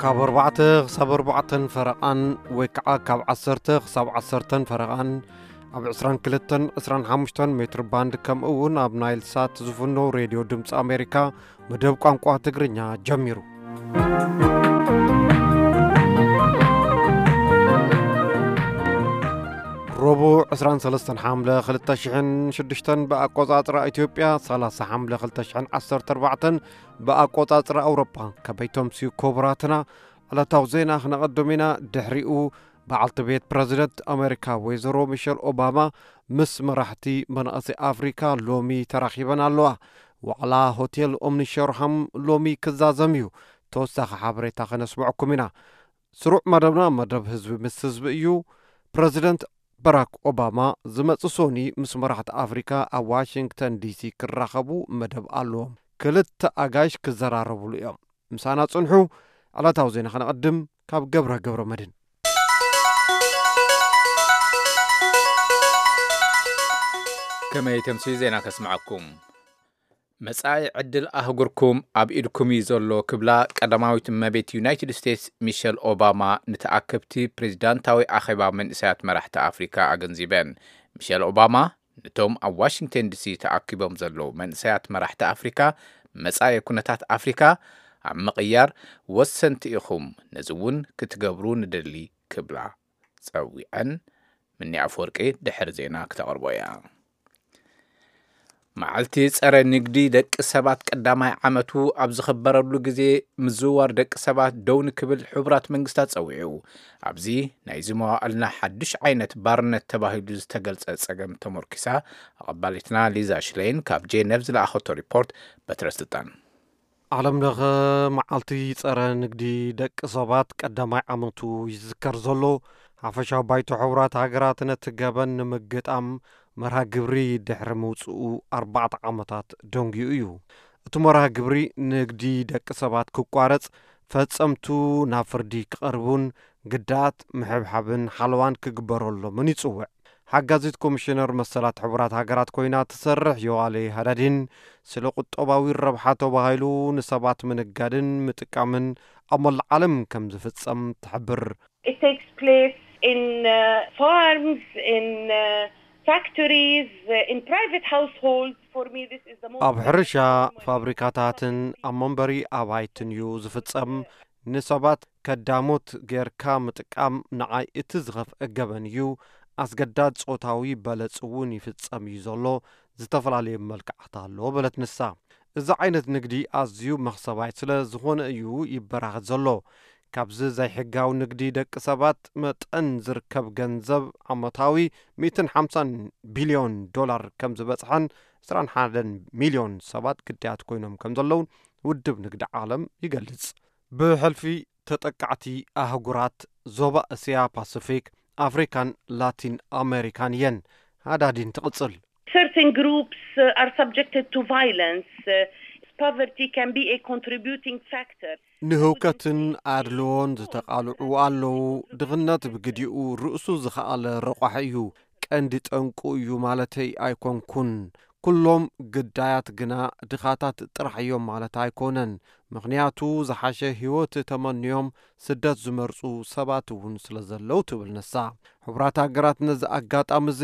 ካብ ኣርባዕተ ክሳብ ኣርባዕተን ፈረቓን ወይ ከዓ ካብ ዓሰርተ ክሳብ ዓሰርተን ፈረቓን ኣብ ዕስራን ክልተን ዕስራን ሓሙሽተን ሜትር ባንድ ከምኡ እውን ኣብ ናይል ሳት ዝፍኖ ሬድዮ ድምፂ ኣሜሪካ መደብ ቋንቋ ትግርኛ ጀሚሩ። ረቡዕ ዕስራን ሰለስተን ሓምለ ክልተ ሽሕን ሽዱሽተን ብኣቆጻጽራ ኢትዮጵያ፣ ሰላሳ ሓምለ ክልተ ሽሕን ዓሰርተ ኣርባዕተን ብኣቆጻጽራ ኣውሮፓ። ከመይ ተምስዩ ክቡራትና፣ ዕለታዊ ዜና ክነቐድም ኢና። ድሕሪኡ በዓልቲ ቤት ፕረዚደንት ኣሜሪካ ወይዘሮ ሚሸል ኦባማ ምስ መራሕቲ መናእሰይ ኣፍሪካ ሎሚ ተራኺበን ኣለዋ። ዋዕላ ሆቴል ኦምኒ ሸርሃም ሎሚ ክዛዘም እዩ። ተወሳኺ ሓበሬታ ከነስምዐኩም ኢና። ስሩዕ መደብና መደብ ህዝቢ ምስ ህዝቢ እዩ። ፕረዚደንት በራክ ኦባማ ዝመጽእ ሶኒ ምስ መራሕቲ ኣፍሪካ ኣብ ዋሽንግተን ዲሲ ክራኸቡ መደብ ኣለዎም። ክልተ ኣጋይሽ ክዘራረብሉ እዮም። ምሳና ጽንሑ። ዕለታዊ ዜና ከነቐድም ካብ ገብረ ገብረ መድህን። ከመይ ተምስዩ ዜና ከስምዐኩም። መጻኢ ዕድል ኣህጉርኩም ኣብ ኢድኩም እዩ ዘሎ ክብላ ቀዳማዊት እመቤት ዩናይትድ ስቴትስ ሚሸል ኦባማ ንተኣከብቲ ፕሬዚዳንታዊ ኣኼባ መንእሰያት መራሕቲ ኣፍሪካ ኣገንዚበን። ሚሸል ኦባማ ነቶም ኣብ ዋሽንግተን ዲሲ ተኣኪቦም ዘለዉ መንእሰያት መራሕቲ ኣፍሪካ መጻኢ ኩነታት ኣፍሪካ ኣብ ምቕያር ወሰንቲ ኢኹም፣ ነዚ እውን ክትገብሩ ንደሊ ክብላ ጸዊዐን። ምኒ ኣፈወርቂ ድሕሪ ዜና ክተቕርቦ እያ። መዓልቲ ጸረ ንግዲ ደቂ ሰባት ቀዳማይ ዓመቱ ኣብ ዝኽበረሉ ግዜ ምዝውዋር ደቂ ሰባት ደው ንክብል ሕቡራት መንግስታት ጸዊዑ። ኣብዚ ናይዚ መዋእልና ሓድሽ ዓይነት ባርነት ተባሂሉ ዝተገልጸ ጸገም ተመርኪሳ ኣቐባሊትና ሊዛ ሽሌን ካብ ጄነቭ ዝለኣኸቶ ሪፖርት በትረ ስልጣን። ዓለም ለኸ መዓልቲ ጸረ ንግዲ ደቂ ሰባት ቀዳማይ ዓመቱ ይዝከር ዘሎ። ሓፈሻዊ ባይቶ ሕቡራት ሃገራት ነቲ ገበን ንምግጣም መርሃ ግብሪ ድሕሪ ምውፅኡ ኣርባዕተ ዓመታት ደንጊዩ እዩ። እቲ መርሃ ግብሪ ንግዲ ደቂ ሰባት ክቋረጽ፣ ፈጸምቱ ናብ ፍርዲ ክቐርቡን ግዳያት ምሕብሓብን ሓለዋን ክግበረሎምን ይጽውዕ። ሓጋዚት ኮሚሽነር መሰላት ሕቡራት ሃገራት ኮይና ትሰርሕ ዮዋሌ ሃዳዲን፣ ስለ ቁጠባዊ ረብሓ ተባሂሉ ንሰባት ምንጋድን ምጥቃምን ኣብ መላእ ዓለም ከም ዝፍጸም ትሕብር። It takes place in uh, farms, in uh, factories, uh, in private households. For me, this is the most ኣብ ሕርሻ፣ ፋብሪካታትን ኣብ መንበሪ ኣባይትን እዩ ዝፍጸም። ንሰባት ከዳሞት ጌርካ ምጥቃም ንዓይ እቲ ዝኸፍአ ገበን እዩ። ኣስገዳድ ጾታዊ በለጽ እውን ይፍጸም እዩ ዘሎ። ዝተፈላለየ መልክዓት ኣሎ በለት ንሳ። እዚ ዓይነት ንግዲ ኣዝዩ መኽሰባይ ስለ ዝኾነ እዩ ይበራኸት ዘሎ። ካብዚ ዘይሕጋዊ ንግዲ ደቂ ሰባት መጠን ዝርከብ ገንዘብ ዓመታዊ ሚእትን ሓምሳን ቢልዮን ዶላር ከም ዝበጽሐን ዕስራን ሓደን ሚልዮን ሰባት ግዳያት ኮይኖም ከም ዘለውን ውድብ ንግዲ ዓለም ይገልጽ። ብሕልፊ ተጠቃዕቲ ኣህጉራት ዞባ እስያ ፓሲፊክ፣ ኣፍሪካን ላቲን ኣሜሪካን እየን። ሃዳዲን ትቕጽል። Certain groups uh, are subjected to violence. Uh, poverty can be a contributing factor. ንህውከትን ኣድልዎን ዝተቓልዑ ኣለዉ። ድኽነት ብግዲኡ ርእሱ ዝኸኣለ ረቋሒ እዩ። ቀንዲ ጠንቁ እዩ ማለተይ ኣይኮንኩን። ኩሎም ግዳያት ግና ድኻታት ጥራሕ እዮም ማለት ኣይኮነን። ምኽንያቱ ዝሓሸ ህይወት ተመንዮም ስደት ዝመርጹ ሰባት እውን ስለ ዘለዉ ትብል ንሳ። ሕቡራት ሃገራት ነዚ ኣጋጣሚ እዚ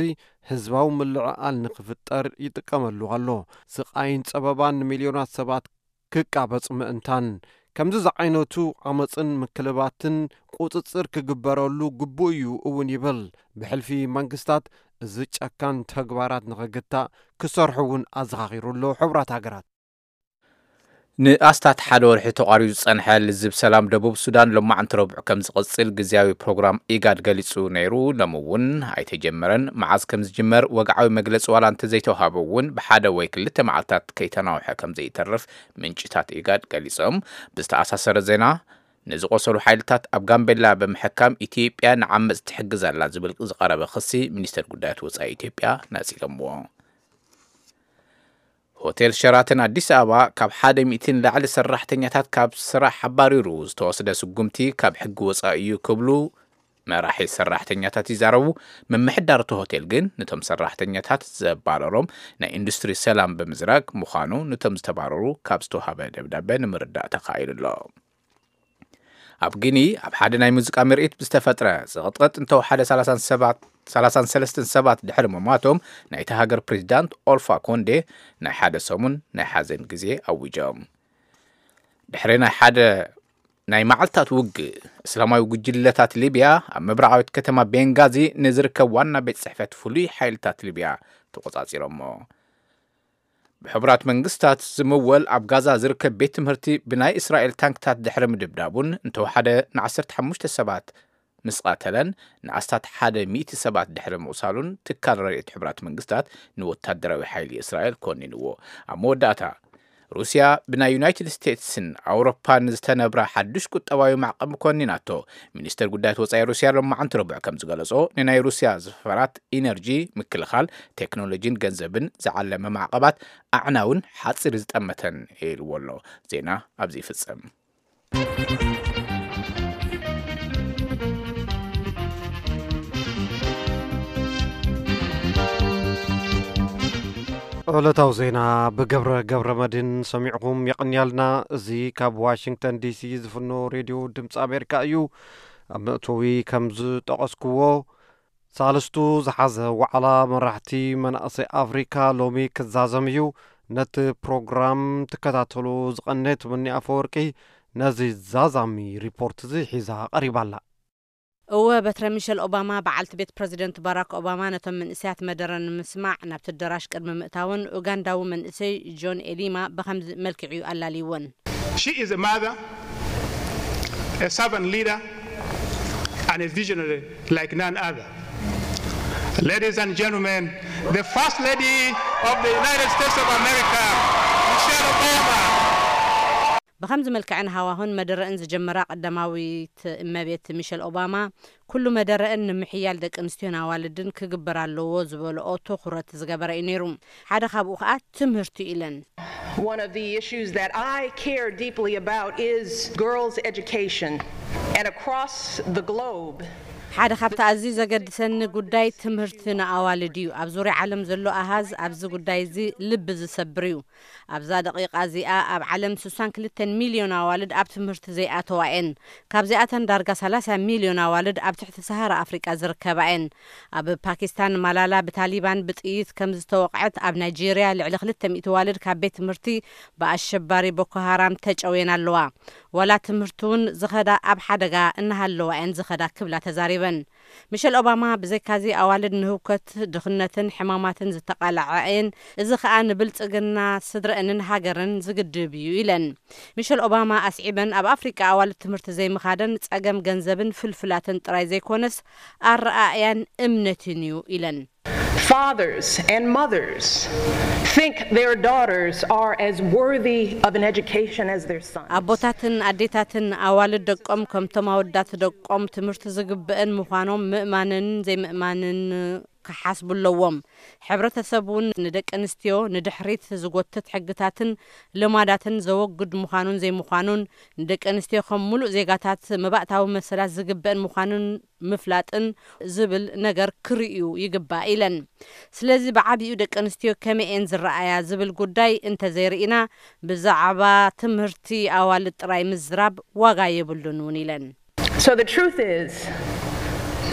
ህዝባዊ ምልዕዓል ንኽፍጠር ይጥቀመሉ ኣሎ። ስቓይን ጸበባን ንሚልዮናት ሰባት ክቃበጽ ምእንታን። ከምዚ ዝዓይነቱ ዓመጽን ምክልባትን ቁጽጽር ክግበረሉ ግቡእ እዩ እውን ይብል። ብሕልፊ መንግስታት እዚ ጨካን ተግባራት ንኽግታእ ክሰርሑ እውን ኣዘኻኺሩ ኣሎ ሕቡራት ሃገራት። ንኣስታት ሓደ ወርሒ ተቋሪጹ ዝጸንሐ ልዝብ ሰላም ደቡብ ሱዳን ሎማዕንቲ ረቡዕ ከም ዝቕጽል ግዝያዊ ፕሮግራም ኢጋድ ገሊጹ ነይሩ። ሎሚ እውን ኣይተጀመረን። መዓዝ ከም ዝጅመር ወግዓዊ መግለጺ ዋላ እንተዘይተዋህበ እውን ብሓደ ወይ ክልተ መዓልታት ከይተናውሐ ከም ዘይተርፍ ምንጭታት ኢጋድ ገሊጾም። ብዝተኣሳሰረ ዜና ንዝቆሰሉ ሓይልታት ኣብ ጋምቤላ ብምሕካም ኢትዮጵያ ንዓመጽ ትሕግዝ ኣላ ዝብል ዝቐረበ ክሲ ሚኒስተር ጉዳያት ወጻኢ ኢትዮጵያ ነጺጎምዎ። ሆቴል ሸራተን ኣዲስ ኣበባ ካብ ሓደ ሚእቲ ንላዕሊ ሰራሕተኛታት ካብ ስራሕ ኣባሪሩ ዝተወስደ ስጉምቲ ካብ ሕጊ ወፃኢ እዩ ክብሉ መራሒ ሰራሕተኛታት ይዛረቡ። ምምሕዳር እቲ ሆቴል ግን ነቶም ሰራሕተኛታት ዘባረሮም ናይ ኢንዱስትሪ ሰላም ብምዝራግ ምዃኑ ነቶም ዝተባረሩ ካብ ዝተውሃበ ደብዳበ ንምርዳእ ተኻኢሉ ኣሎ። ኣብ ጊኒ ኣብ ሓደ ናይ ሙዚቃ ምርኢት ብዝተፈጥረ ዝቕጥቕጥ እንተወሓደ ሰላሳን ሰባት ሰላሳን ሰለስተን ሰባት ድሕሪ ምሟቶም፣ ናይቲ ሃገር ፕሬዚዳንት ኦልፋ ኮንዴ ናይ ሓደ ሰሙን ናይ ሓዘን ግዜ ኣዊጆም። ድሕሪ ናይ ሓደ ናይ መዓልታት ውግእ፣ እስላማዊ ጉጅለታት ሊብያ ኣብ ምብራቓዊት ከተማ ቤንጋዚ ንዝርከብ ዋና ቤት ጽሕፈት ፍሉይ ሓይልታት ሊብያ ተቖጻጺሮሞ። ብሕቡራት መንግስታት ዝምወል ኣብ ጋዛ ዝርከብ ቤት ትምህርቲ ብናይ እስራኤል ታንክታት ድሕሪ ምድብዳቡን እንተወሓደ ንዓሰርተ ሓሙሽተ ሰባት ምስ ቐተለን ንኣስታት ሓደ ሚእቲ ሰባት ድሕሪ ምቑሳሉን ትካል ረድኤት ሕቡራት መንግስታት ንወታደራዊ ሓይሊ እስራኤል ኮኒንዎ። ኣብ መወዳእታ ሩስያ ብናይ ዩናይትድ ስቴትስን ኣውሮፓን ዝተነብራ ሓዱሽ ቁጠባዊ ማዕቐብ ኮኒናቶ። ሚኒስተር ጉዳያት ወጻኢ ሩስያ ሎማዓንቲ ረቡዕ ከም ዝገለጾ፣ ንናይ ሩስያ ዝፈራት ኢነርጂ፣ ምክልኻል፣ ቴክኖሎጂን ገንዘብን ዝዓለመ ማዕቐባት ኣዕናውን ሓጺር ዝጠመተን ኢልዎ ኣሎ። ዜና ኣብዚ ይፍጸም። ዕለታዊ ዜና ብገብረ ገብረ መድህን ሰሚዕኹም የቕንያልና። እዚ ካብ ዋሽንግተን ዲሲ ዝፍኖ ሬድዮ ድምፂ ኣሜሪካ እዩ። ኣብ መእተዊ ከም ዝጠቐስክዎ፣ ሳልስቱ ዝሓዘ ዋዕላ መራሕቲ መናእሰይ ኣፍሪካ ሎሚ ክዛዘም እዩ። ነቲ ፕሮግራም ትከታተሉ ዝቐነ ትምኒ ኣፈወርቂ ነዚ ዛዛሚ ሪፖርት እዚ ሒዛ ቀሪባ ኣላ። እወ፣ በትረ ሚሸል ኦባማ፣ በዓልቲ ቤት ፕረዚደንት ባራክ ኦባማ፣ ነቶም መንእሰያት መደረ ንምስማዕ ናብቲ ኣዳራሽ ቅድሚ ምእታውን፣ ኡጋንዳዊ መንእሰይ ጆን ኤሊማ ብኸምዚ መልክዕ እዩ ኣላልይወን። She is a mother, a servant leader, and a visionary like none other. Ladies and gentlemen, the First Lady of the United States of America, Michelle Obama. ብኸምዚ መልክዕን ሃዋሁን መደረእን ዝጀመራ ቀዳማዊት እመቤት ሚሸል ኦባማ፣ ኩሉ መደረእን ንምሕያል ደቂ ኣንስትዮን ኣዋልድን ክግበር ኣለዎ ዝበልኦ ትኹረት ዝገበረ እዩ ነይሩ። ሓደ ካብኡ ከኣ ትምህርቲ እዩ ኢለን። One of the issues that I care deeply about is girls' education. And across the globe, ሓደ ካብቲ ኣዝዩ ዘገድሰኒ ጉዳይ ትምህርቲ ንኣዋልድ እዩ። ኣብ ዙርያ ዓለም ዘሎ ኣሃዝ ኣብዚ ጉዳይ እዚ ልቢ ዝሰብር እዩ። ኣብዛ ደቂቓ እዚኣ ኣብ ዓለም ስሳን ክልተን ሚልዮን ኣዋልድ ኣብ ትምህርቲ ዘይኣተዋ እየን። ካብዚኣተን ዳርጋ ሰላሳ ሚልዮን ኣዋልድ ኣብ ትሕቲ ሰሃራ ኣፍሪቃ ዝርከባ እየን። ኣብ ፓኪስታን ማላላ ብታሊባን ብጥይት ከም ዝተወቕዐት፣ ኣብ ናይጄርያ ልዕሊ ክልተ ሚእቲ ኣዋልድ ካብ ቤት ትምህርቲ ብኣሸባሪ ቦኮ ሃራም ተጨውየን ኣለዋ። ዋላ ትምህርቲ እውን ዝኸዳ ኣብ ሓደጋ እናሃለዋ እየን ዝኸዳ ክብላ ተዛሪበን። ሚሸል ኦባማ ብዘይካዚ ኣዋልድ ንህውከት፣ ድኽነትን ሕማማትን ዝተቓልዓ እየን። እዚ ኸኣ ንብልጽግና ስድረአንን ሃገርን ዝግድብ እዩ ኢለን። ሚሸል ኦባማ ኣስዒበን ኣብ ኣፍሪቃ ኣዋልድ ትምህርቲ ዘይምኻደን ጸገም ገንዘብን ፍልፍላትን ጥራይ ዘይኮነስ ኣረኣእያን እምነትን እዩ ኢለን። Fathers and mothers think their daughters are as worthy of an education as their sons. ኣቦታትን ኣዴታትን ኣዋልድ ደቆም ከምቶም ኣወዳት ደቆም ትምህርቲ ዝግብአን ምዃኖም ምእማንን ዘይምእማንን ክሓስቡ ኣለዎም። ሕብረተሰብ እውን ንደቂ ኣንስትዮ ንድሕሪት ዝጎትት ሕግታትን ልማዳትን ዘወግድ ምዃኑን ዘይምዃኑን፣ ንደቂ ኣንስትዮ ከም ሙሉእ ዜጋታት መባእታዊ መሰላት ዝግበአን ምዃኑን ምፍላጥን ዝብል ነገር ክርእዩ ይግባእ ኢለን። ስለዚ ብዓቢኡ ደቂ ኣንስትዮ ከመይ እየን ዝረኣያ ዝብል ጉዳይ እንተዘይርኢና፣ ብዛዕባ ትምህርቲ ኣዋልድ ጥራይ ምዝራብ ዋጋ የብሉን እውን ኢለን። So the truth is,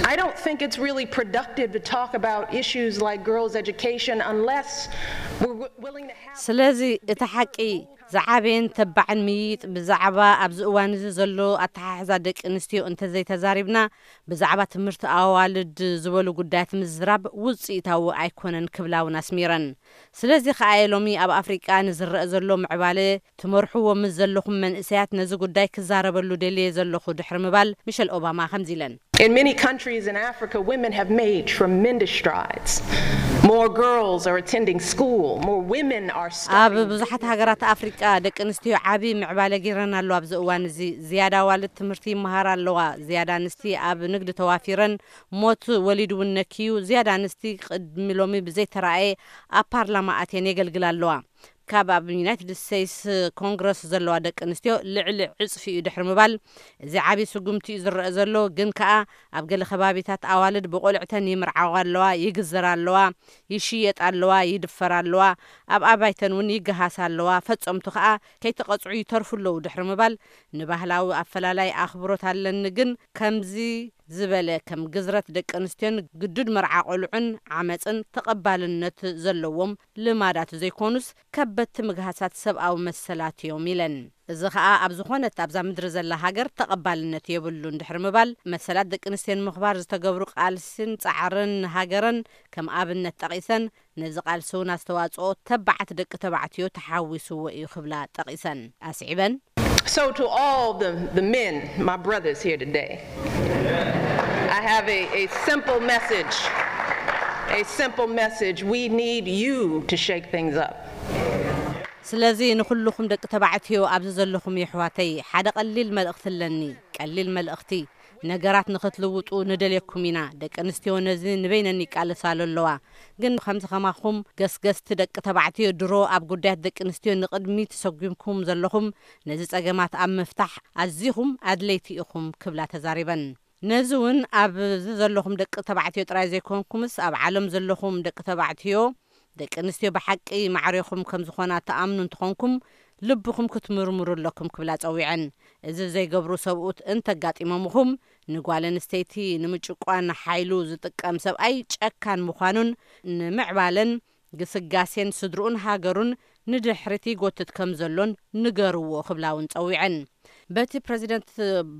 I don't think it's really productive to talk about issues like girls' education unless we're w- willing to have ስለዚ እቲ ሓቂ ዝዓበየን ተባዕን ምይይጥ ብዛዕባ ኣብዚ እዋን እዚ ዘሎ ኣተሓሕዛ ደቂ ኣንስትዮ እንተዘይተዛሪብና፣ ብዛዕባ ትምህርቲ ኣዋልድ ዝበሉ ጉዳያት ምዝራብ ውፅኢታዊ ኣይኮነን ክብላ እውን ኣስሚረን። ስለዚ ከኣ እየ ሎሚ ኣብ ኣፍሪቃ ንዝረአ ዘሎ ምዕባለ ትመርሕዎ ምስ ዘለኹም መንእሰያት ነዚ ጉዳይ ክዛረበሉ ደልየ ዘለኹ ድሕሪ ምባል፣ ሚሸል ኦባማ ከምዚ ኢለን። In many countries in Africa, women have made tremendous strides. More girls are attending school, more women are ኣብ studying. ብዙሓት ሃገራት ኣፍሪቃ ደቂ ኣንስትዮ ዓቢ ምዕባለ ገይረን ኣሎ። ኣብዚ እዋን እዚ ዝያዳ ኣዋልድ ትምህርቲ ይመሃራ ኣለዋ። ዝያዳ ኣንስቲ ኣብ ንግዲ ተዋፊረን፣ ሞት ወሊድ እውን ነክዩ። ዝያዳ ኣንስቲ ቅድሚ ሎሚ ብዘይተራእየ ኣብ ፓርላማ ኣትየን የገልግላ ኣለዋ። ካብ ኣብ ዩናይትድ ስቴትስ ኮንግረስ ዘለዋ ደቂ ኣንስትዮ ልዕሊ ዕጽፊ እዩ ድሕሪ ምባል፣ እዚ ዓብዪ ስጉምቲ እዩ ዝረአ ዘሎ፣ ግን ከኣ ኣብ ገለ ከባቢታት ኣዋልድ ብቆልዕተን ይምርዓዋ ኣለዋ፣ ይግዘራ ኣለዋ፣ ይሽየጣ ኣለዋ፣ ይድፈራ ኣለዋ፣ ኣብ ኣባይተን እውን ይገሃሳ ኣለዋ፣ ፈጸምቱ ከኣ ከይተቐጽዑ ይተርፉ ኣለዉ ድሕሪ ምባል፣ ንባህላዊ ኣፈላላይ ኣኽብሮት ኣለኒ፣ ግን ከምዚ ዝበለ ከም ግዝረት ደቂ ኣንስትዮን ግዱድ መርዓ ቆልዑን ዓመጽን ተቐባልነት ዘለዎም ልማዳት ዘይኮኑስ ከበድቲ ምግሃሳት ሰብኣዊ መሰላት እዮም ኢለን። እዚ ኸኣ ኣብ ዝኾነት ኣብዛ ምድሪ ዘላ ሃገር ተቐባልነት የብሉን ድሕሪ ምባል፣ መሰላት ደቂ ኣንስትዮ ንምኽባር ዝተገብሩ ቃልሲን ጻዕርን ንሃገረን ከም ኣብነት ጠቒሰን፣ ነዚ ቃልሲ እውን ኣስተዋጽኦ ተባዓት ደቂ ተባዕትዮ ተሓዊስዎ እዩ ክብላ ጠቒሰን ኣስዒበን። So to all the, the men, my brothers here today, I have a, a simple message. A simple message. We need you to shake things up. ስለዚ ንኹልኹም ደቂ ተባዕትዮ ኣብዚ ዘለኹም የሕዋተይ ሓደ ቀሊል መልእኽቲ ኣለኒ። ቀሊል መልእኽቲ። ነገራት ንኽትልውጡ ንደልየኩም ኢና። ደቂ ኣንስትዮ ነዚ ንበይነን ይቃለሳሉ ኣለዋ። ግን ከምዚ ከማኹም ገስገስቲ ደቂ ተባዕትዮ ድሮ ኣብ ጉዳያት ደቂ ኣንስትዮ ንቕድሚት ሰጒምኩም ዘለኹም ነዚ ጸገማት ኣብ ምፍታሕ ኣዚኹም ኣድለይቲ ኢኹም ክብላ ተዛሪበን። ነዚ እውን ኣብዚ ዘለኹም ደቂ ተባዕትዮ ጥራይ ዘይኮንኩምስ ኣብ ዓለም ዘለኹም ደቂ ተባዕትዮ ደቂ ኣንስትዮ ብሓቂ ማዕሬኹም ከም ዝኾና ትኣምኑ እንተኾንኩም ልብኹም ክትምርምሩ ኣለኩም ክብላ ጸዊዐን። እዚ ዘይገብሩ ሰብኡት እንተጋጢሞምኹም ንጓል ኣንስተይቲ ንምጭቋን ሓይሉ ዝጥቀም ሰብኣይ ጨካን ምዃኑን ንምዕባለን ግስጋሴን ስድርኡን ሃገሩን ንድሕሪት ይጎትት ከም ዘሎን ንገርዎ ክብላ እውን ጸዊዐን። በቲ ፕረዚደንት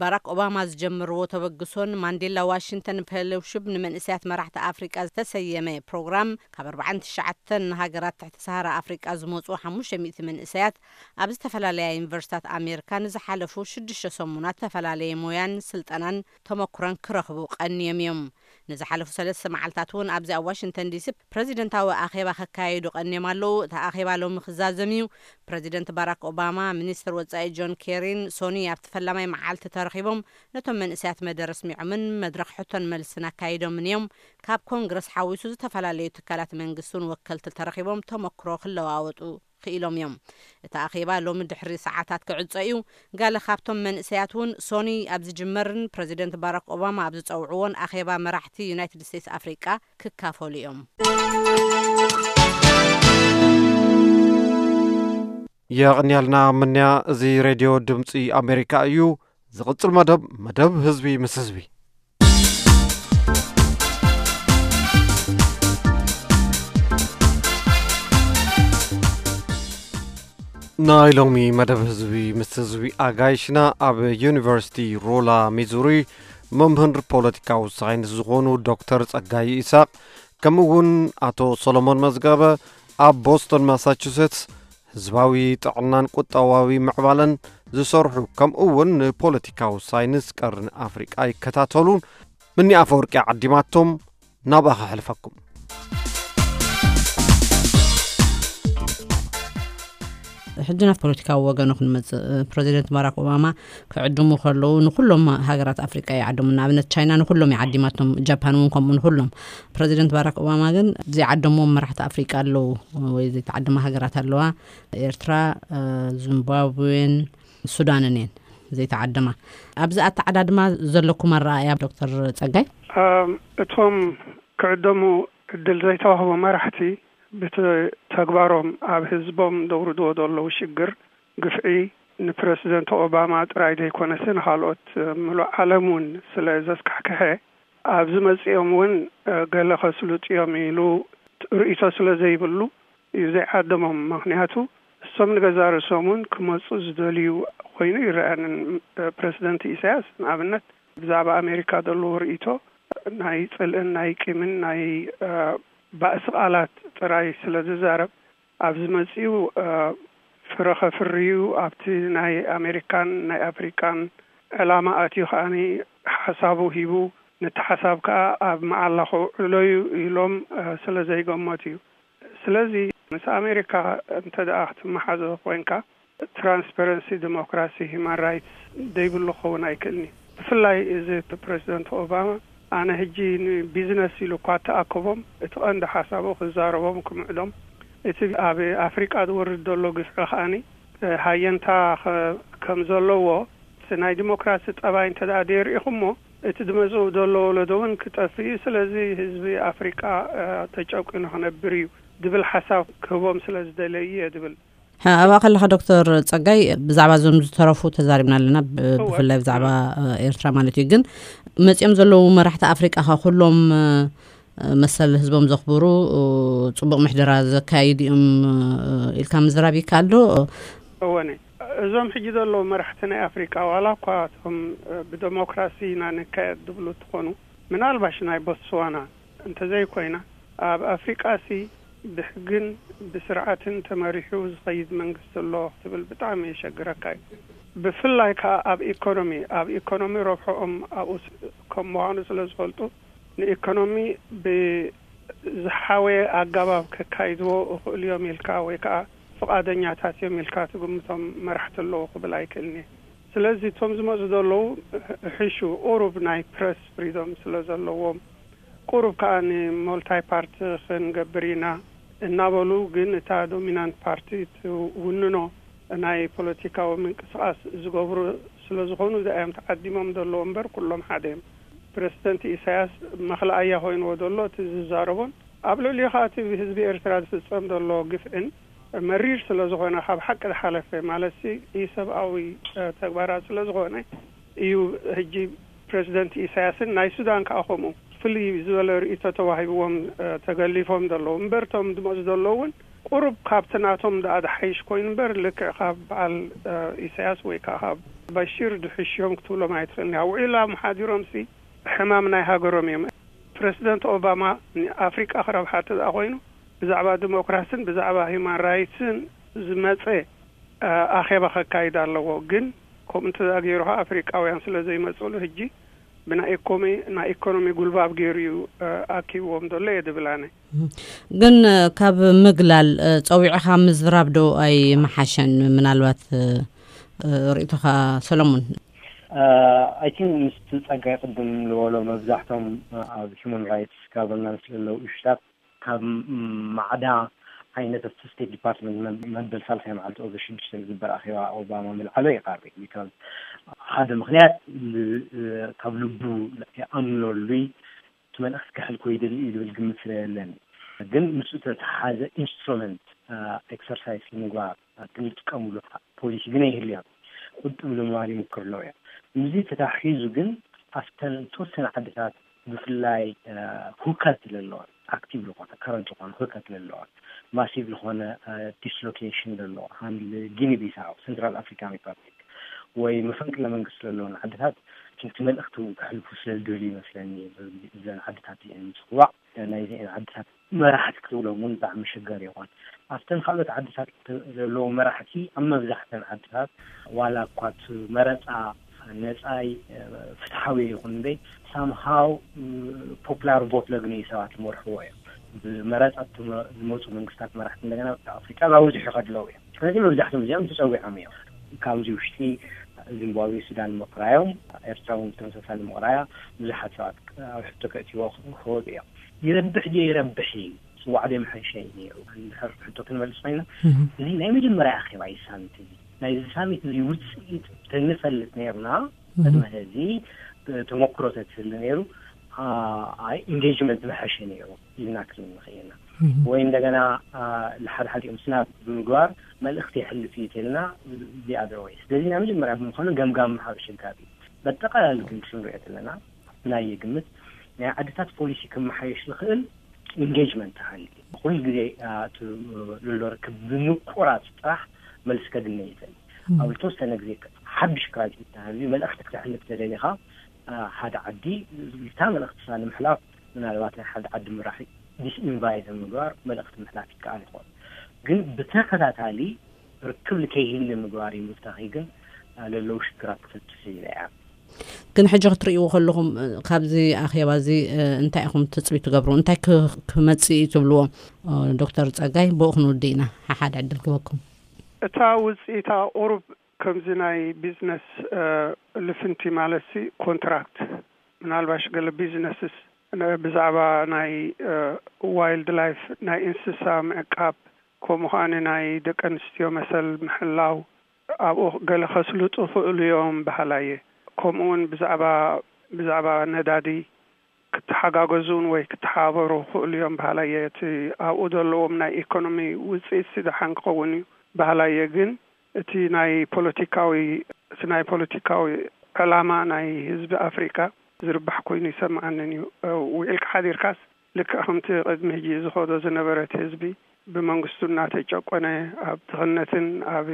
ባራክ ኦባማ ዝጀመርዎ ተበግሶን ማንዴላ ዋሽንግተን ፌሎሺፕ ንመንእሰያት መራሕቲ ኣፍሪቃ ዝተሰየመ ፕሮግራም ካብ ኣርባዓን ትሽዓተን ሃገራት ትሕቲ ሰሃራ ኣፍሪቃ ዝመጹ ሓሙሽተ ሚእቲ መንእሰያት ኣብ ዝተፈላለያ ዩኒቨርሲታት ኣሜሪካ ንዝሓለፉ ሽዱሽተ ሰሙናት ዝተፈላለየ ሞያን ስልጠናን ተመኩሮን ክረኽቡ ቀንዮም እዮም። ንዝሓለፉ ሰለስተ መዓልታት እውን ኣብዚ ኣብ ዋሽንግተን ዲሲ ፕረዚደንታዊ ኣኼባ ከካየዱ ቀንዮም ኣለዉ። እቲ ኣኼባ ሎሚ ክዛዘም እዩ። ፕረዚደንት ባራክ ኦባማ፣ ሚኒስትር ወጻኢ ጆን ኬሪን ሶኒ ኣብቲ ፈላማይ መዓልቲ ተረኺቦም ነቶም መንእሰያት መደረ ኣስሚዖምን መድረኽ ሕቶን መልስን ኣካይዶምን እዮም። ካብ ኮንግረስ ሓዊሱ ዝተፈላለዩ ትካላት መንግስቲ እውን ወከልቲ ተረኺቦም ተመክሮ ክለዋወጡ ክኢሎም እዮም። እቲ ኣኼባ ሎሚ ድሕሪ ሰዓታት ክዕጾ እዩ። ገለ ካብቶም መንእሰያት እውን ሶኒ ኣብ ዝጅመርን ፕረዚደንት ባራክ ኦባማ ኣብ ዝጸውዕዎን ኣኼባ መራሕቲ ዩናይትድ ስቴትስ ኣፍሪቃ ክካፈሉ እዮም። የቕንያልና ምንያ። እዚ ሬድዮ ድምፂ ኣሜሪካ እዩ። ዝቕፅል መደብ፣ መደብ ህዝቢ ምስ ህዝቢ። ናይ ሎሚ መደብ ህዝቢ ምስ ህዝቢ ኣጋይሽና ኣብ ዩኒቨርሲቲ ሮላ ሚዙሪ መምህር ፖለቲካዊ ሳይንስ ዝኾኑ ዶክተር ጸጋይ ይስሐቅ፣ ከምኡ እውን ኣቶ ሰሎሞን መዝገበ ኣብ ቦስቶን ማሳቹሴትስ ህዝባዊ ጥዕናን ቁጠባዊ ምዕባለን ዝሰርሑ፣ ከምኡ እውን ንፖለቲካዊ ሳይንስ ቀርኒ ኣፍሪቃ ይከታተሉ። ምኒ ኣፈወርቂ ዓዲማቶም ናብኣ ከሕልፈኩም። ሕጂ ናብ ፖለቲካዊ ወገኑ ክንመጽእ፣ ፕረዚደንት ባራክ ኦባማ ክዕድሙ ከለዉ ንኩሎም ሃገራት ኣፍሪቃ ይዓድሙ። ንኣብነት ቻይና ንኩሎም ይዓዲማቶም፣ ጃፓን እውን ከምኡ ንኩሎም። ፕረዚደንት ባራክ ኦባማ ግን ዘይዓደምዎም መራሕቲ ኣፍሪቃ ኣለዉ ወይ ዘይተዓደማ ሃገራት ኣለዋ። ኤርትራ፣ እ፣ ዚምባብዌን ሱዳንን እየን ዘይተዓደማ። ኣብዚ ኣተዓዳድማ ዘለኩም ኣረኣእያ ዶክተር ጸጋይ? እም፣ እቶም ክዕደሙ ዕድል ዘይተዋህቦ መራሕቲ ብተግባሮም ኣብ ህዝቦም ዘውርድዎ ዘለዉ ሽግር፣ ግፍዒ ንፕረሲደንት ኦባማ ጥራይ ዘይኮነስ ንኻልኦት ምሉእ ዓለም እውን ስለ ዘስካሕክሐ፣ ኣብዚ መጺኦም እውን ገለ ከስልጡ እዮም ኢሉ ርእይቶ ስለ ዘይብሉ እዩ ዘይዓደሞም። ምኽንያቱ እሶም ንገዛእ ርእሶም እውን ክመጹ ዝደልዩ ኮይኑ ይረኣንን። ፕረሲደንት ኢሳያስ ንኣብነት ብዛዕባ ኣሜሪካ ዘለዎ ርእይቶ ናይ ጽልእን ናይ ቂምን ናይ ባእሲ ቃላት ጥራይ ስለ ዝዛረብ፣ ኣብዚ መጺኡ ፍረ ከፍርዩ ኣብቲ ናይ ኣሜሪካን ናይ ኣፍሪቃን ዕላማ ኣትዩ ከኣ ሓሳቡ ሂቡ፣ ነቲ ሓሳብ ከኣ ኣብ መዓላ ከውዕሎ እዩ ኢሎም ስለ ዘይገመቱ እዩ። ስለዚ ምስ ኣሜሪካ እንተ ደኣ ክትመሓዞ ኮይንካ፣ ትራንስፓረንሲ፣ ዲሞክራሲ፣ ሂማን ራይትስ ደይብሉ ክኸውን ኣይክእልን እዩ። ብፍላይ እዚ ፕረዚደንት ኦባማ፣ ኣነ ሕጂ ንቢዝነስ ኢሉ እኳ ተኣከቦም፣ እቲ ቀንዲ ሓሳቡ ክዛረቦም ክምዕዶም እቲ ኣብ ኣፍሪቃ ዝወርድ ዘሎ ግፍዒ ከኣኒ ሃየንታ ከም ዘለዎ ናይ ዲሞክራሲ ጠባይ እንተ ደኣ ደይርኢኹሞ፣ እቲ ዝመጽእ ዘሎ ወለዶ እውን ክጠፍእ እዩ። ስለዚ ህዝቢ ኣፍሪቃ ተጨቂኑ ክነብር እዩ ዝብል ሓሳብ ክህቦም ስለ ዝደለዩ እየ ዝብል። ኣብኣ ከለኻ ዶክተር ጸጋይ፣ ብዛዕባ እዞም ዝተረፉ ተዛሪብና ኣለና፣ ብፍላይ ብዛዕባ ኤርትራ ማለት እዩ። ግን መጺኦም ዘለዉ መራሕቲ ኣፍሪቃ ከ ኩሎም መሰል ህዝቦም ዘኽብሩ፣ ጽቡቕ ምሕደራ ዘካይዱ እዮም ኢልካ ምዝራብ ይከኣል ዶ? እወ፣ እዞም ሕጂ ዘለዉ መራሕቲ ናይ ኣፍሪቃ፣ ዋላ እኳ እቶም ብደሞክራሲ ኢና ንካየድ ዝብሉ እንትኾኑ፣ ምናልባሽ ናይ ቦትስዋና እንተዘይኮይና፣ ኣብ ኣፍሪቃሲ ብሕግን ብስርዓትን ተመሪሑ ዝኸይድ መንግስቲ ኣሎ ክትብል ብጣዕሚ የሸግረካ እዩ። ብፍላይ ከዓ ኣብ ኢኮኖሚ፣ ኣብ ኢኮኖሚ ረብሖኦም ኣብኡ ከም ምዃኑ ስለ ዝፈልጡ፣ ንኢኮኖሚ ብዝሓወየ ኣገባብ ከካይድዎ እኽእሉ እዮም ኢልካ ወይ ከዓ ፍቓደኛታት እዮም ኢልካ ትግምቶም መራሕቲ ኣለዉ ክብል ኣይክእልን እየ። ስለዚ እቶም ዝመፁ ዘለዉ ሕሹ ቁሩብ ናይ ፕረስ ፍሪዶም ስለ ዘለዎም፣ ቁሩብ ከዓ ንሞልታይ ፓርቲ ክንገብር ኢና እናበሉ፣ ግን እታ ዶሚናንት ፓርቲ ትውንኖ ናይ ፖለቲካዊ ምንቅስቃስ ዝገብሩ ስለ ዝኾኑ፣ እዚኣዮም ተዓዲሞም ዘለዉ እምበር ኩሎም ሓደ እዮም። ፕረዚደንት ኢሳያስ መኽለኣያ ኮይንዎ ዘሎ እቲ ዝዛረቦን ኣብ ልዕሊኡ ከዓ እቲ ብህዝቢ ኤርትራ ዝፍጸም ዘሎ ግፍዕን መሪር ስለ ዝኾነ፣ ካብ ሓቂ ዝሓለፈ ማለትሲ ኢሰብኣዊ ተግባራት ስለ ዝኾነ እዩ። ሕጂ ፕረዚደንት ኢሳያስን ናይ ሱዳን ከዓ ከምኡ ፍልይ ዝበለ ርእይቶ ተዋሂብዎም ተገሊፎም ዘለዉ እምበር፣ እቶም ዝመፁ ዘለዉ እውን ቁሩብ ካብቲ ናቶም ደኣ ዝሓይሽ ኮይኑ እምበር፣ ልክዕ ካብ በዓል ኢሳያስ ወይ ከዓ ካብ በሽር ዝሕሽዮም ክትብሎም ኣይትኽእልን እያ። ውዒላ መሓዲሮምሲ ሕማም ናይ ሃገሮም እዮም። ፕረዚደንት ኦባማ ንኣፍሪቃ ክረብሓ እንተ ደኣ ኮይኑ፣ ብዛዕባ ዲሞክራስን ብዛዕባ ሂውማን ራይትስን ዝመጸ ኣኼባ ከካይድ ኣለዎ። ግን ከምኡ እንተ ደኣ ገይሩ ኸዓ ኣፍሪቃውያን ስለ ዘይመጽእሉ፣ ሕጂ ብናይ ኢኮኖሚ፣ ናይ ኢኮኖሚ ጉልባብ ገይሩ እዩ ኣኪብዎም ዘሎ እየ ዝብል ኣነ። ግን ካብ ምግላል ጸዊዕኻ ምዝራብ ዶ ኣይመሓሸን? ምናልባት ርእይቶኻ ሰለሙን። ኣይ ቲንክ ምስቲ ጸጋይ ቅድም ዝበሎ፣ መብዛሕቶም ኣብ ሂውማን ራይትስ ጋቨርናንስ ዘለዉ ኢሹታት ካብ ማዕዳ ዓይነት ኣብቲ ስቴት ዲፓርትመንት መበል ሳልሳይ መዓልቲ ኦገስት ሽዱሽተ ዝግበር ኣኼባ ኦባማ ምልዓሎ ይቐርብ። ቢካዝ ሓደ ምኽንያት ካብ ልቡ ይኣምነሉይ እቲ መልእኽቲ ከሕልፎ ይደሊ እዩ ዝብል ግምት ስለ የለን። ግን ምስኡ ተተሓዘ ኢንስትሩመንት ኤክሰርሳይዝ ንምግባር ክንጥቀምሉ ፖሊሲ ግን ኣይህልያን። ቁጥብ ንምባል ይምክር ኣለዉ እዮም። ምስዚ ተታሒዙ ግን ኣብተን ተወሰነ ዓድታት ብፍላይ ሁከት ለለዋ፣ ኣክቲቭ ዝኾነ ከረንት ዝኾነ ሁከት ለለዋ፣ ማሲቭ ዝኾነ ዲስሎኬሽን ለለዋ፣ ሃም ጊኒ ቢሳው፣ ሰንትራል ኣፍሪካን ሪፐብሊክ ወይ መፈንቅለ መንግስቲ ለለውን ዓድታት እቲ መልእኽቲ እውን ከሕልፉ ስለ ዝደልዩ ይመስለኒ እዘን ዓድታት እዚአን ምፅዋዕ። ናይዚአን ዓድታት መራሕቲ ክትብሎም እውን ብጣዕሚ ኣሸጋሪ ይኾን። ኣብተን ካልኦት ዓድታት ዘለዉ መራሕቲ ኣብ መብዛሕተን ዓድታት ዋላ እኳ እቲ መረፃ ነፃይ ፍትሓዊ ይኹን እምበይ ሳምሃው ፖፕላር ቮት ለግንዩ ሰባት ዝመርሕዎ እዮም። ብመረፃ ዝመፁ መንግስታት መራሕቲ እንደገና ኣፍሪቃ ብብዝሑ ይኸድለዉ እዮም። ስለዚ መብዛሕቶም እዚኦም ተፀዊዖም እዮም። ካብዚ ውሽጢ ዚምባብዌ፣ ሱዳን ምቕራዮም፣ ኤርትራ እውን ተመሳሳሊ ምቕራያ ብዙሓት ሰባት ኣብ ሕቶ ከእትዎ ክወጡ እዮም። ይረብሕ ድዮ ይረብሕ እዩ፣ ጽዋዕ ዶ ይምሕሸ እዩ ነይሩ። እንድሕር ሕቶ ክንመልስ ኮይና፣ እዚ ናይ መጀመርያ ኣኼባ እዩ ሳሚት እዚ። ናይዚ ሳሚት እዚ ውጽኢት ተንፈልጥ ነይርና፣ ቅድሚ ሕዚ ተመክሮ ተትህሉ ነይሩ፣ ኣይ ኢንጌጅመንት ምሐሸ ነይሩ ኢልና ክንብል ንኽእል ኢና። ወይ እንደገና ንሓደ ሓዲኦም ስናብ ብምግባር መልእኽቲ የሕልፍ እዩ ተልና the other way። ስለዚ ናይ መጀመርያ ብምዃኑ ገምጋም ምሃብ ኣሸጋሪ እዩ። በጠቓላሊ ግን ክንሪኦ ተለና ናይ ግምት ናይ ዓድታት ፖሊሲ ክመሓየሽ ዝኽእል ኢንጌጅመንት ተሃልዩ ኩሉ ግዜ እቲ ዘሎ ርክብ ብምቁራፅ ጥራሕ መልሲ ከግነ ይኽእል። ኣብ ዝተወሰነ ግዜ ሓድሽ ክራይሲስ ተሃልዩ መልእኽቲ ክተሕልፍ ተደሊኻ ሓደ ዓዲ ልታ መልእኽትሳ ንምሕላፍ ምናልባት ናይ ሓደ ዓዲ መራሒ ዲስኢንቫይት ምግባር መልእኽቲ ምሕላፍ ይከኣል ይኾን። ግን ብተኸታታሊ ርክብ ልከይህሊ ምግባር እዩ ምፍታኺ ግን ለለዉ ሽግራት ክፈትሽ ኢለ እያ። ግን ሕጂ ክትርእይዎ ከለኹም ካብዚ ኣኼባ እዚ እንታይ ኢኹም ትፅቢት ትገብሩ? እንታይ ክመፅእ እዩ ትብልዎ? ዶክተር ፀጋይ ብኡ ክንውድእ ኢና። ሓሓድ ዕድል ክበኩም። እታ ውፅኢታ ቁሩብ ከምዚ ናይ ቢዝነስ ልፍንቲ ማለትሲ ኮንትራክት ምናልባሽ ገለ ቢዝነስስ ብዛዕባ ናይ ዋይልድ ላይፍ ናይ እንስሳ ምዕቃብ ከምኡ ኸኣ ናይ ደቂ ኣንስትዮ መሰል ምሕላው ኣብኡ ገለ ከስልጡ ይኽእሉ እዮም በሃላይ እየ። ከምኡ እውን ብዛዕባ፣ ብዛዕባ ነዳዲ ክተሓጋገዙን ወይ ክተሓባበሩ ይኽእሉ እዮም በሃላይ እየ። እቲ ኣብኡ ዘለዎም ናይ ኢኮኖሚ ውጽኢት ሲ ደሓን ክኸውን እዩ በሃላይ እየ። ግን እቲ ናይ ፖለቲካዊ፣ እቲ ናይ ፖለቲካዊ ዕላማ ናይ ህዝቢ ኣፍሪቃ ዝርባሕ ኮይኑ ይሰምዓንን እዩ። እ፣ ውዒልካ ሓዲርካስ ልክዕ ከምቲ ቅድሚ ሕጂ ዝኸዶ ዝነበረ እቲ ህዝቢ ብመንግስቱ እናተጨቆነ ኣብ ድኽነትን ኣብ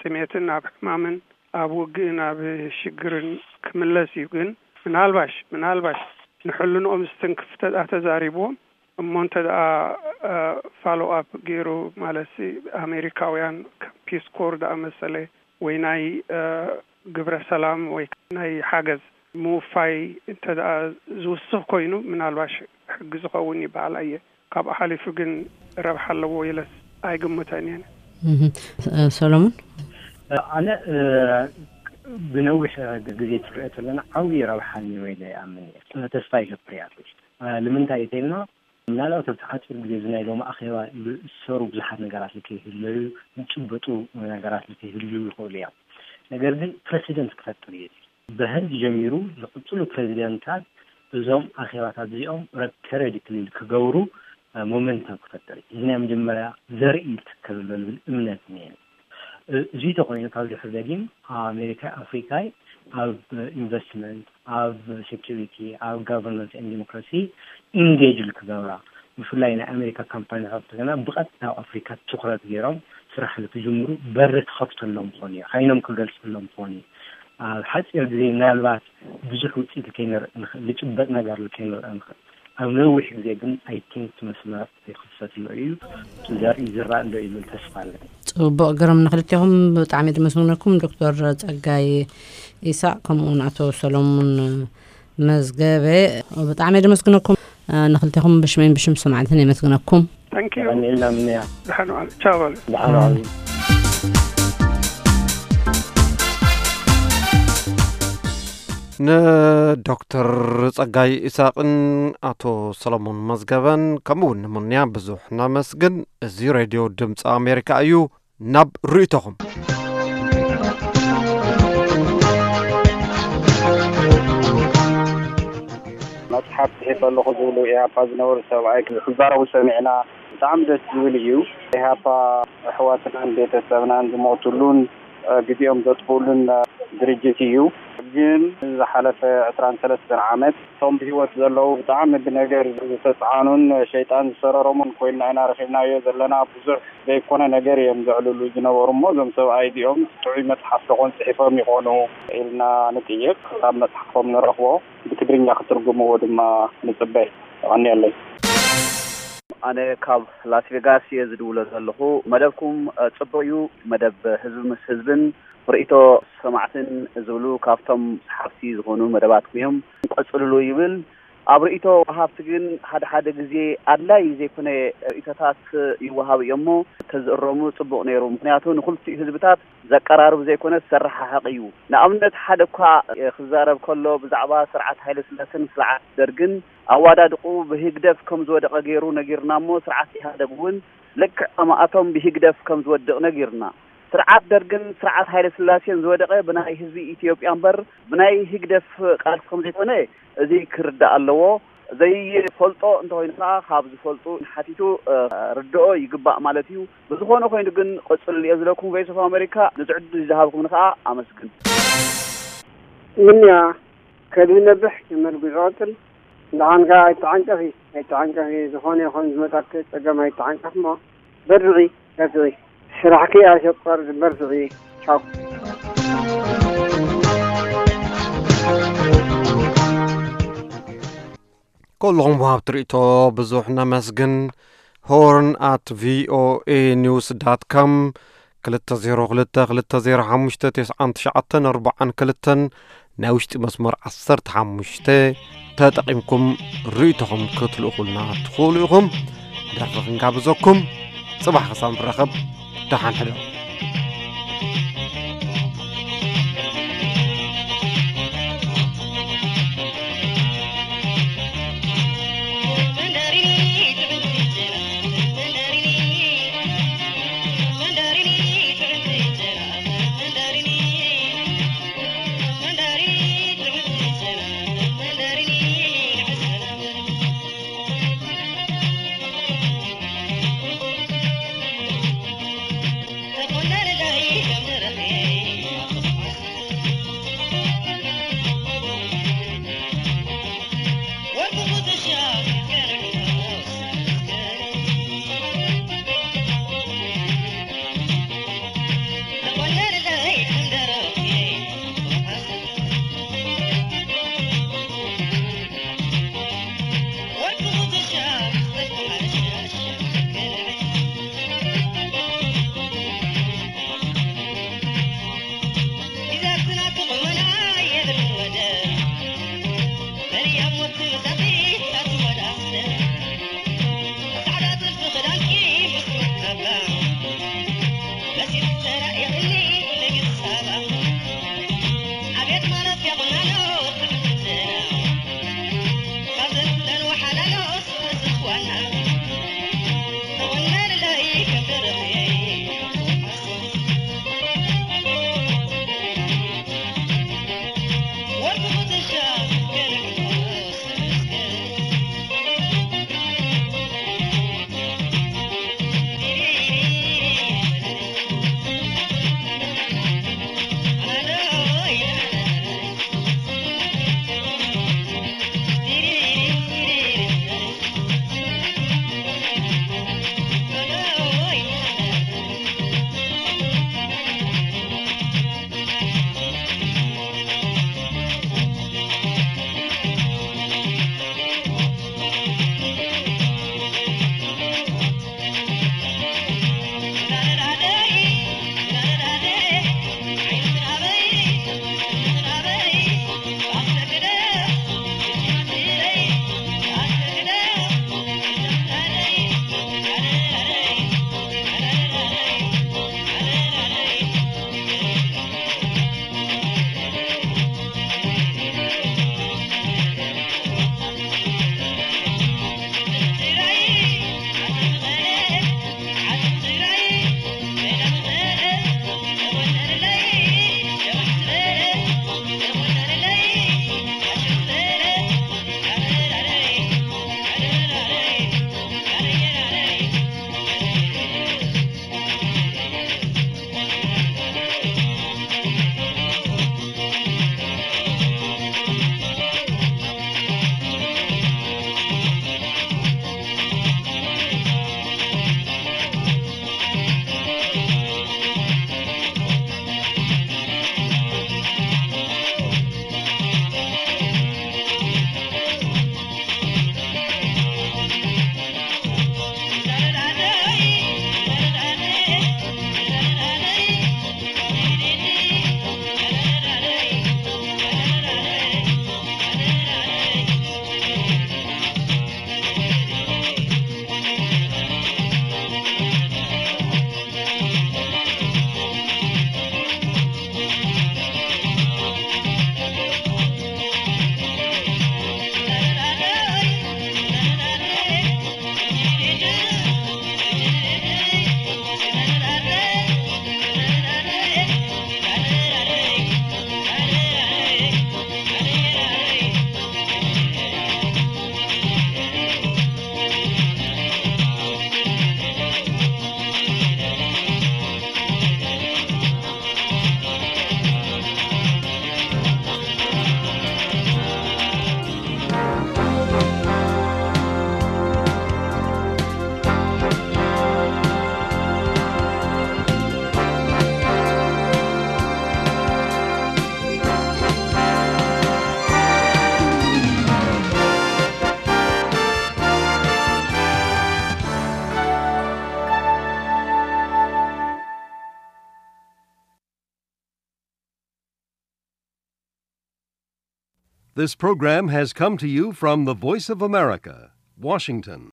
ጥሜትን ኣብ ሕማምን ኣብ ውግእን ኣብ ሽግርን ክምለስ እዩ። ግን ምናልባሽ፣ ምናልባሽ ንሕልንኦም ዝትንክፍ እንተ ደኣ ተዛሪብዎም እሞ እንተ ደኣ፣ እ፣ ፋሎ ኣፕ ገይሩ ማለት ኣሜሪካውያን ከም ፒስ ኮር ደኣ መሰለ ወይ ናይ፣ እ፣ ግብረ ሰላም ወይ ናይ ሓገዝ ምውፋይ እንተ ደኣ ዝውስኽ ኮይኑ ምናልባሽ ሕጊ ዝኸውን ይበሃል ኣየ። ካብኡ ሓሊፉ ግን ረብሓ ኣለዎ ኢለስ ኣይግምተን እየ። እህ፣ እ፣ ሰሎሞን? ኣነ፣ እ፣ ብነዊሕ ግዜ ትሪኦ ተለና ዓብዪ ረብሓ እኒኦ ኢለ ይኣምን እየ። ተስፋ ይገብር እየ ኣትሊስት። እ፣ ንምንታይ እዩ ተይልና ምናልባት ኣብቲ ሓፂር ግዜ እዚ ናይ ሎሚ ኣኼባ ዝሰሩ ብዙሓት ነገራት ልከይህለዩ፣ ዝጭበጡ ነገራት ልከይህልዩ ይኽእሉ እዮም። ነገር ግን ፕረሲደንት ክፈጥር እዩ። ብህንድ ጀሚሩ ዝቕፅሉ ፕረዚደንታት እዞም ኣኼባታት እዚኦም ረብ-፣ ፔሪዮዲክሊ ክገብሩ፣ እ፣ ሞመንተም ክፈጥር እዩ። እዚ ናይ መጀመርያ ዘርኢ ይትከል ኣሎ ዝብል እምነት እኒአኒ። እ-፣ እዚ ተኾይኑ ካብ ድሕሪ ደጊም ኣሜሪካ ኣፍሪካይ ኣብ ኢንቨስትመንት፣ ኣብ ሴኪሪቲ፣ ኣብ ጋቨርናንስ ኤንድ ዲሞክራሲ ኢንጌጅ ክገብራ፣ ብፍላይ ናይ ኣሜሪካ ካምፓኒታት ገና ብቐጥታ ኣብ ኣፍሪካ ትኹረት ገይሮም ስራሕ ንክጅምሩ በሪ ክኸፍተሎም ክኾን እዩ፣ ዓይኖም ክገልፀሎም ክኾን እዩ። ኣብ ሓፂር ግዜ ምናልባት ብዙሕ ውፅኢት ከይንርኢ ንኽእል፣ ዝጭበጥ ነገር ከይንርኢ ንኽእል። ኣብ ነዊሕ ግዜ ግን ኣይ ቲንክ እቲ መስመር ይኽፈት ኣሎ እዩ። እቲ ዘርኢ ይዝራእ ኣሎ ይብል ተስፋ ኣለኒ። ጽቡቕ ግርም፣ ንክልቴኹም ብጣዕሚ ደመስግነኩም ዶክተር ጸጋይ ኢሳቅ ከምኡ እውን ኣቶ ሰሎሙን መዝገበ ብጣዕሚ ደመስግነኩም። ንክልቴኹም ብሽመይን ብሽም ሰማዕትን የመስግነኩም። ታንክ ዩ። ቀኒልና ምንያ። ደሓን ዋሉ። ቻው በሉ። ደሓን ዋሉ። ንዶክተር ጸጋይ ኢሳቕን ኣቶ ሰሎሞን መዝገበን ከምኡ እውን ንሙንያ ብዙሕ ነመስግን። እዚ ሬድዮ ድምፂ ኣሜሪካ እዩ። ናብ ርእይቶኹም። መፅሓፍ ፅሒፈ ኣለኹ ዝብሉ ኢህኣፓ ዝነበሩ ሰብኣይ ክዛረቡ ሰሚዕና። ብጣዕሚ ደስ ዝብል እዩ። ኢህኣፓ ኣሕዋትናን ቤተሰብናን ዝሞቱሉን ግዜኦም ዘጥፍኡሉን ድርጅት እዩ። ግን ዝሓለፈ ዕስራን ሰለስተን ዓመት እቶም ብህይወት ዘለዉ ብጣዕሚ ብነገር ዝተፅዓኑን ሸይጣን ዝሰረሮምን ኮይንና ኢና ረኺብናዮ ዘለና። ብዙሕ ዘይኮነ ነገር እዮም ዘዕልሉ ዝነበሩ እሞ እዞም ሰብኣይ እዚኦም ጥዑይ መፅሓፍ ተኾን ፅሒፎም ይኾኑ ኢልና ንጥይቕ። ካብ መፅሓፎም ንረኽቦ ብትግርኛ ክትርጉምዎ ድማ ንፅበ። የቐንየለይ። ኣነ ካብ ላስ ቬጋስ እየ ዝድውሎ ዘለኹ። መደብኩም፣ እ፣ ጽቡቕ እዩ። መደብ ህዝቢ ምስ ህዝብን ርእይቶ ሰማዕትን ዝብሉ ካብቶም ሰሓብቲ ዝኾኑ መደባትኩም እዮም። ቀጽልሉ ይብል። ኣብ ርእይቶ ወሃብቲ ግን ሓደ ሓደ ግዜ ኣድላይ ዘይኮነ ርእይቶታት ይወሃብ እዩ እሞ ተዝእረሙ ጽቡቕ ነይሩ። ምኽንያቱ ንኽልቲኡ ህዝብታት ዘቀራርብ ዘይኮነ ዘሰረሓሕቕ እዩ። ንኣብነት ሓደ እኳ፣ እ፣ ክዛረብ ከሎ ብዛዕባ ስርዓት ሃይለ ስላሰን ስርዓት ደርግን ኣዋዳድቑ ብህግደፍ ከም ዝወደቐ ገይሩ ነጊርና እሞ፣ ስርዓት ኢህኣደግ እውን ልክዕ ከማኣቶም ብህግደፍ ከም ዝወድቕ ነጊርና። ስርዓት ደርግን ስርዓት ሃይለ ስላሴን ዝወደቐ ብናይ ህዝቢ ኢትዮጵያ እምበር ብናይ ህግደፍ ቃልሲ ከም ዘይኮነ እዚ ክርዳእ ኣለዎ። ዘይፈልጦ እንተኾይኑ ከዓ ካብ ዝፈልጡ ሓቲቱ፣ እ፣ ርድኦ ይግባእ ማለት እዩ። ብዝኾነ ኮይኑ ግን ቅጽል እየ ዝለኩም ቮይስ ኦፍ ኣሜሪካ፣ ነዚ ዕድል ዝሃብኩምኒ ከዓ ኣመስግን። ምንያ ከድሂ ነብሕ፣ የመልጉ ዝቐጽል። ደሓን ከኣ ኣይተዓንቀኺ፣ ኣይተዓንቀኺ። ዝኾነ ይኹን ዝመጻኪ ጸገም ኣይተዓንቀፍ እሞ በርትዒ፣ በርትዒ። ስራሕኪ ኣሸቆር በርትዒ። ቻው። ኩልኹም ወሃብቲ ርእይቶ ብዙሕ ነመስግን። ሆርን ኣት ቪኦኤ ኒውስ ዳት ካም፣ ክልተ ዜሮ ክልተ ክልተ ዜሮ ሓሙሽተ ተስዓን ትሽዓተን ኣርባዓን ክልተን፣ ናይ ውሽጢ መስመር ዓሰርተ ሓሙሽተ ተጠቒምኩም ርእይቶኹም ክትልእኹልና ትኽእሉ ኢኹም። ደርፊ ክንጋብዘኩም። ጽባሕ ክሳብ ንራኸብ፣ ደሓን ሕደሩ። This program has come to you from the Voice of America, Washington.